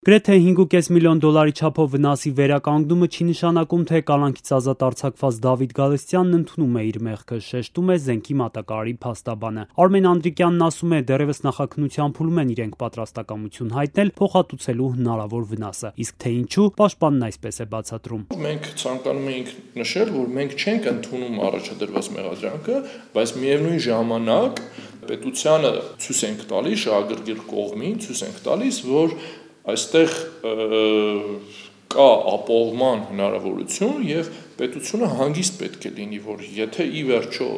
Գրեթե 5.5 միլիոն դոլարի չափով վնասի վերականգնումը չի նշանակում, թե կալանքից ազատ արձակված Դավիթ Գալստյանն ընդունում է իր մեղքը, շեշտում է զենքի մատակարարի փաստաբանը։ Արմեն Անդրիկյանն ասում է, դեռևս նախաքննության փուլում են իրենք պատրաստակամություն հայտնել փոխհատուցելու հնարավոր վնասը, իսկ թե ինչու, պաշտպանն այսպես է բացատրում։ Մենք ցանկանում էինք նշել, որ մենք չենք ընդունում առաջադրված մեղադրանքը, բայց միևնույն ժամանակ պետությանը ցույց ենք տալիս, շահագրգիռ կողմին ցույց ենք տալիս, որ այստեղ կա ապահովման հնարավորություն եւ պետությունը հանգիստ պետք է լինի, որ եթե ի վերջո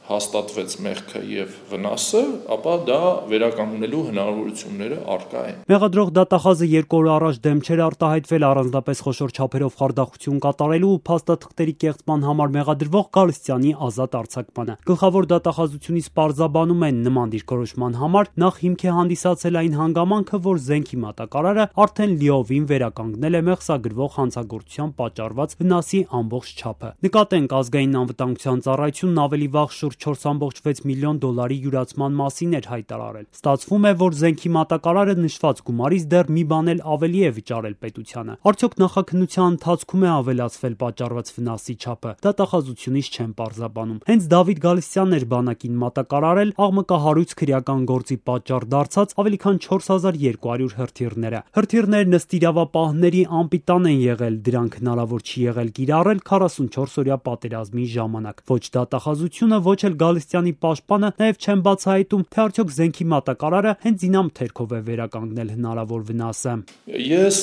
հաստատվեց մեղքը եւ վնասը, ապա դա վերականգնելու հնարավորությունները առկա են։ Մեղադրող դատախազը 2 օր առաջ դեմ չէր արտահայտվել առանձնապես խոշոր չափերով խարդախություն կատարելու ու փաստաթղթերի կեղծման համար մեղադրվող Գալստյանի ազատ արձակմանը։ Գլխավոր դատախազությունից պարզաբանում են նման դիրքորոշման համար նախ հիմք է հանդիսացել այն հանգամանքը, որ զենքի մատակարարը արդեն լիովին վերականգնել է մեղսագրվող հանցագործության պատճառված վնասի ամբողջ չափը։ Նկատենք, ազգային անվտանգության ծառայությունն ավելի վաղ շուրջ 4.6 միլիոն դոլարի յուրացման մասին էր հայտարարել։ Ստացվում է, որ զենքի մատակարարը նշված գումարից դեռ մի բան էլ ավելի է վճարել պետությանը։ Արդյոք նախաքննության ընթացքում է ավելացվել պատճառված վնասի չափը։ Դատախազությունից չեն պարզաբանում։ Հենց Դավիթ Գալստյանն էր բանակին մատակարարել աղմկահարույց քրեական գործի պատճառ դարձած ավելի քան 4200 հրթիռները։ Հրթիռներն ըստ իրավապահների անպիտան են եղել, դրանք հնարավոր չի եղել կիրառել 44-օրյա պատերազմի ժամանակ։ Ոչ դատախազությունը, ոչ էլ Գալստյանի պաշտպանը նաև չեն բացահայտում, թե արդյոք զենքի մատակարարը հենց ինամթերքով է վերականգնել հնարավոր վնասը։ Ես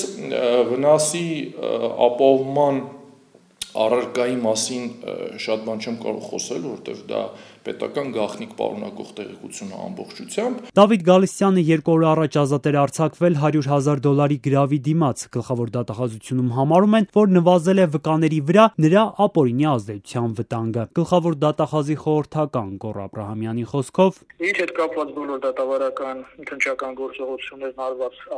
վնասի ապահովման առարկայի մասին շատ բան չեմ կարող խոսել, որովհետև դա պետական գաղտնիք պարունակող տեղեկություն է ամբողջությամբ։ Դավիթ Գալստյանը 2 օր առաջ ազատ էր արձակվել $100,000 գրավի դիմաց։ Գլխավոր դատախազությունում համարում են, որ նվազել է վկաների վրա նրա ապօրինի ազդեցության վտանգը։ Գլխավոր դատախազի խորհրդական Գոռ Աբրահամյանի խոսքով. Իր հետ կապված բոլոր դատավարական քննչական գործողություններն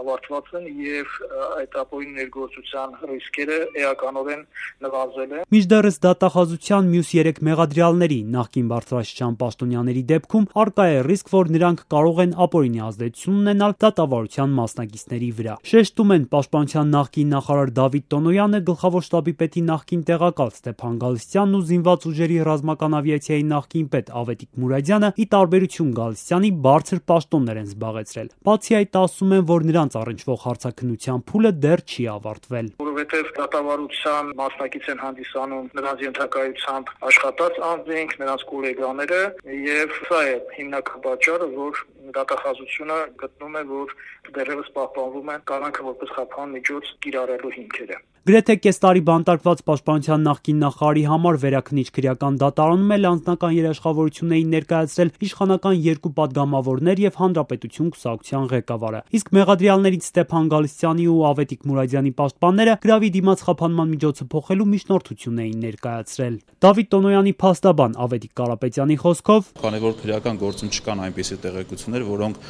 ավարտված են եւ այդ ապօրինի ներգործության ռիսկերը էականորեն նվազել են։ Մինչդեռս դատախազության մյուս 3 մեղադրյալների նախկին բարձրաստիճան պաշտոնյաների դեպքում առկա է ռիսկ, որ նրանք կարող են ապօրինի ազդեցություն ունենալ դատավարության մասնակիցների վրա։ Շեշտում են պաշտպանության նախկին նախարար Դավիթ Տոնոյանը, գլխավոր շտաբի պետի նախկին տեղակալ Ստեփան Գալստյանն ու զինված ուժերի ռազմական ավիացիայի նախկին պետ Ավետիք Մուրադյանը ի տարբերություն Գալստյանի բարձր պաշտոններ են զբաղեցրել։ Բացի այդ, ասում են, որ նրանց առնչվող հարցաքննության փուլը դեռ չի ավարտվել։ Որովհետև դատավարության մասնակից են հանդիսանում նրանց ենթակայությամբ աշխատած անձինք, նրանց գոլեգաները եւ սա է հիմնական պատճառը, որ դատախազությունը գտնում է, որ դեռևս պահպանվում են կանանքը որպես խափան միջոց կիրառելու հիմքերը։ Գրեթե կես տարի բանտարկված պաշտպանության նախկին նախարարի համար վերաքննիչ քրեական դատարանում էլ անձնական երաշխավորություն էին ներկայացրել իշխանական 2 պատգամավորներ եւ Հանրապետություն կուսակցության ղեկավարը։ Իսկ մեղադրյալներից Ստեփան Գալստյանի ու Ավետիք Մուրադյանի պաշտպանները գրավի դիմաց խափանման միջոցը փոխելու միջնորդություն էին ներկայացրել։ Դավիթ Տոնոյանի փաստաբան Ավետիք Կարապետյանի խոսքով. Քանի որ քրեական գործում չկան այնպիսի տեղեկություններ, որոնք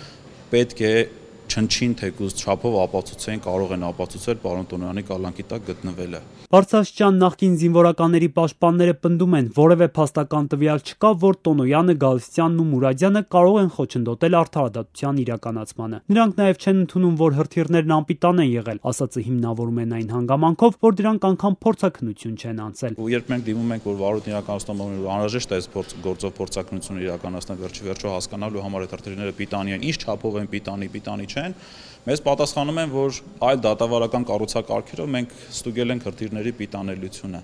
պետք է չնչին թեկուզ չափով ապացուցեն, կարող են ապացուցել պարոն Տոնոյանի կալանքի տակ գտնվելը։ Բարձրաստիճան նախկին զինվորականների պաշտպանները պնդում են, որևէ փաստական տվյալ չկա, որ Տոնոյանը, Գալստյանն ու Մուրադյանը կարող են խոչընդոտել արդարադատության իրականացմանը։ Նրանք նաև չեն ընդունում, որ հրթիռներն անպիտան են եղել, ասածը հիմնավորում են այն հանգամանքով, որ դրանք անգամ փորձաքննություն չեն անցել։ Երբ մենք դիմում ենք, որ վարույթն իրականացնում է, անհրաժեշտ է այս գործով փորձաքննություն իրականացնել, վերջի հասկանալու համար այդ հրթիռները պիտանի են, ինչ չափով են պիտանի չեն, մեզ պատասխանում են, որ այլ դատավարական կառուցակարգերով մենք ստուգել ենք հրթիռների պիտանելիությունը։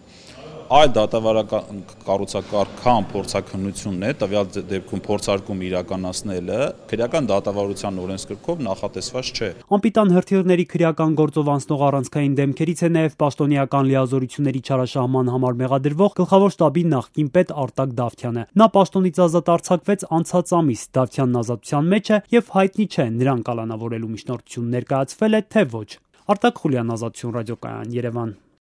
Այլ դատավարական կառուցակարգան փորձաքննությունն է, տվյալ դեպքում փորձարկում իրականացնելը քրեական դատավարության օրենսգրքով նախատեսված չէ։ Անպիտան հրթիռների քրեական գործով անցնող առանցքային դեմքերից է նաև պաշտոնեական լիազորությունների չարաշահման համար մեղադրվող գլխավոր շտաբի նախկին պետ Արտակ Դավթյանը։ Նա պաշտոնից ազատ արձակվեց անցած ամիս, Դավթյանն ազատության մեջ է եւ հայտնի չէ նրան կալանավորելու միջնորդություն ներկայացվել է թե ոչ։ Արտակ Խուլյան, Ազատություն ռադիոկայան, Երևան։